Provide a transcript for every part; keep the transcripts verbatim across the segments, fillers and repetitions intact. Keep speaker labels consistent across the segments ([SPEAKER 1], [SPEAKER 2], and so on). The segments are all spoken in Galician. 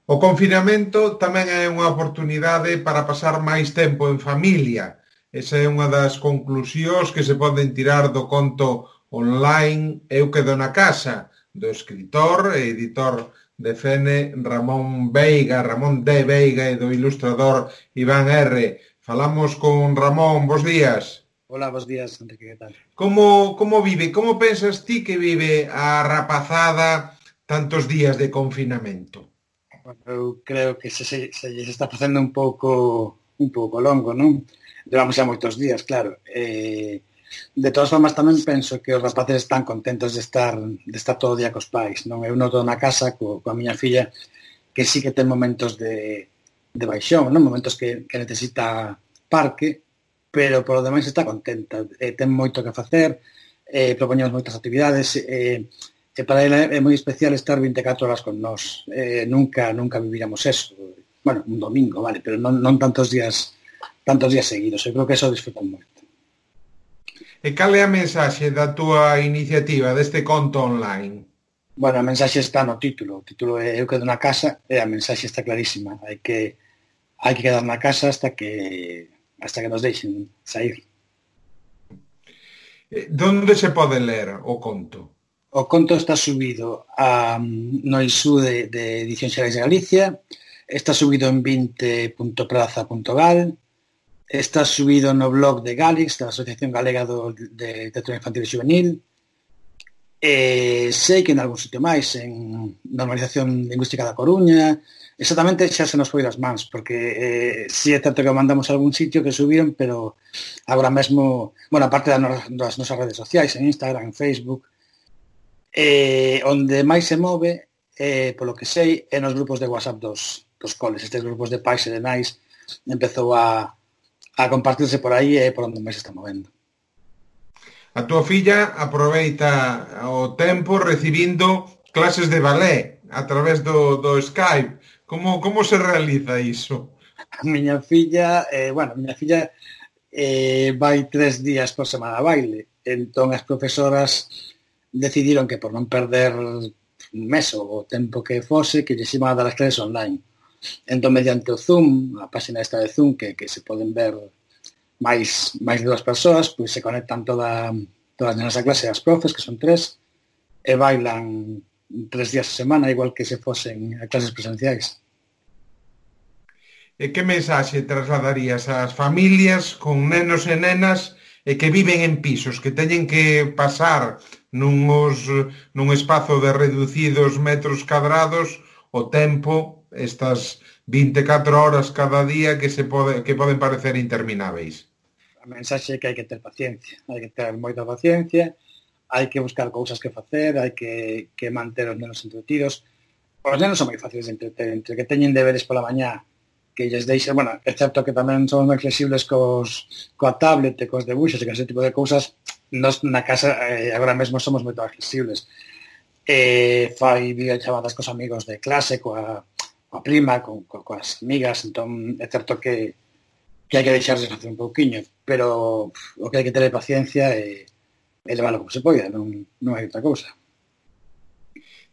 [SPEAKER 1] O confinamento tamén é unha oportunidade para pasar máis tempo en familia. Esa é unha das conclusións que se poden tirar do conto online Eu quedo na casa, do escritor e editor de Fene Ramón Veiga, Ramón de Veiga e do ilustrador Iván R. Falamos con Ramón, bos días.
[SPEAKER 2] Hola, bos días, Enrique, que tal?
[SPEAKER 1] Como, como vive, como pensas ti que vive a rapazada tantos días de confinamento?
[SPEAKER 2] Bueno, eu creo que se, se, se lles está facendo un pouco un pouco longo, non? Levamos xa moitos días, claro. Eh, de todas formas, tamén penso que os rapaces están contentos de estar de estar todo o día cos pais, non? Eu noto na casa co, coa miña filla que sí que ten momentos de, de baixón, non? Momentos que, que necesita parque, pero por lo demais está contenta. Eh, ten moito que facer, eh, propoñemos moitas actividades, eh, e para ela é moi especial estar vinte e catro horas con nós. Eh, nunca, nunca viviramos eso. Bueno, un domingo, vale, pero non, non tantos días tantos días seguidos. Eu creo que eso disfrutan moito.
[SPEAKER 1] E cal é a mensaxe da túa iniciativa deste conto online?
[SPEAKER 2] Bueno, a mensaxe está no título. O título é Eu quedo na casa e a mensaxe está clarísima. Hai que hai que quedar na casa hasta que hasta que nos deixen sair.
[SPEAKER 1] Donde se pode ler o conto?
[SPEAKER 2] O conto está subido a, no I S U de, de Edición Xerais de Galicia, está subido en vinte punto praza punto gal, está subido no blog de Galix, da Asociación Galega do, de Literatura Infantil e Juvenil, e sei que en algún sitio máis, en Normalización Lingüística da Coruña, exactamente xa se nos foi das mans, porque eh, si é certo que mandamos a algún sitio que subiron, pero agora mesmo, bueno, aparte das nosas redes sociais, en Instagram, en Facebook, Eh, onde máis se move, eh, polo que sei, é nos grupos de WhatsApp dos, dos coles. Estes grupos de pais e de nais empezou a, a compartirse por aí e por onde máis se está movendo.
[SPEAKER 1] A túa filla aproveita o tempo recibindo clases de ballet a través do, do Skype. Como, como se realiza iso?
[SPEAKER 2] A miña filla, eh, bueno, a miña filla eh, vai tres días por semana a baile. Entón as profesoras decidiron que por non perder un mes ou o tempo que fose, que lles iban a dar as clases online. Entón, mediante o Zoom, a página esta de Zoom, que, que se poden ver máis, máis de dúas persoas, pois se conectan toda, todas as nenas a clase, as profes, que son tres, e bailan tres días a semana, igual que se fosen a clases presenciais.
[SPEAKER 1] E que mensaxe trasladarías ás familias con nenos e nenas e que viven en pisos, que teñen que pasar nuns, nun espazo de reducidos metros cadrados o tempo, estas vinte e catro horas cada día que se pode, que poden parecer intermináveis?
[SPEAKER 2] A mensaxe é que hai que ter paciencia, hai que ter moita paciencia, hai que buscar cousas que facer, hai que, que manter os nenos entretidos. Os nenos son moi fáciles de entreter, entre que teñen deberes pola mañá, que lles deixe, bueno, é certo que tamén somos moi flexibles cos, coa tablet e cos debuxos e con ese tipo de cousas. Nos na casa eh, agora mesmo somos moito máis flexibles. Eh, fai videochamadas cos amigos de clase, coa, coa prima, co, co, coas amigas, entón é certo que, que hai que deixarles facer un pouquiño, pero pff, o que hai que ter é paciencia e, e leválo como se poida, non, non hai outra cousa.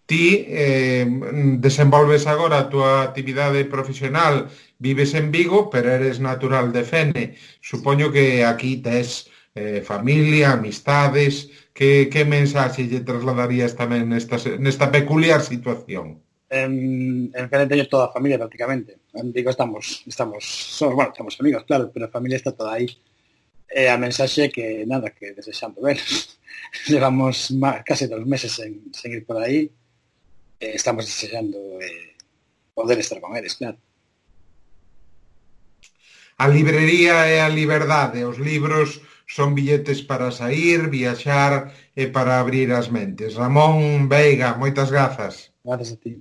[SPEAKER 1] Ti eh, desenvolves agora a túa actividade profesional, vives en Vigo, pero eres natural de Fene. Supoño que aquí tes eh, familia, amistades. Que, que mensaxe lle trasladarías tamén nesta, nesta peculiar situación?
[SPEAKER 2] En, en Fene teño toda a familia prácticamente. En Vigo estamos, estamos, somos, bueno, estamos amigos, claro, pero a familia está toda aí. E a mensaxe que, nada, que desexando veros. Levamos má, case dos meses sen, sen ir por aí. Eh, estamos desexando eh, poder estar con eles, claro.
[SPEAKER 1] A librería é a liberdade, os libros son billetes para sair, viaxar e para abrir as mentes. Ramón Veiga, moitas grazas.
[SPEAKER 2] Grazas a ti.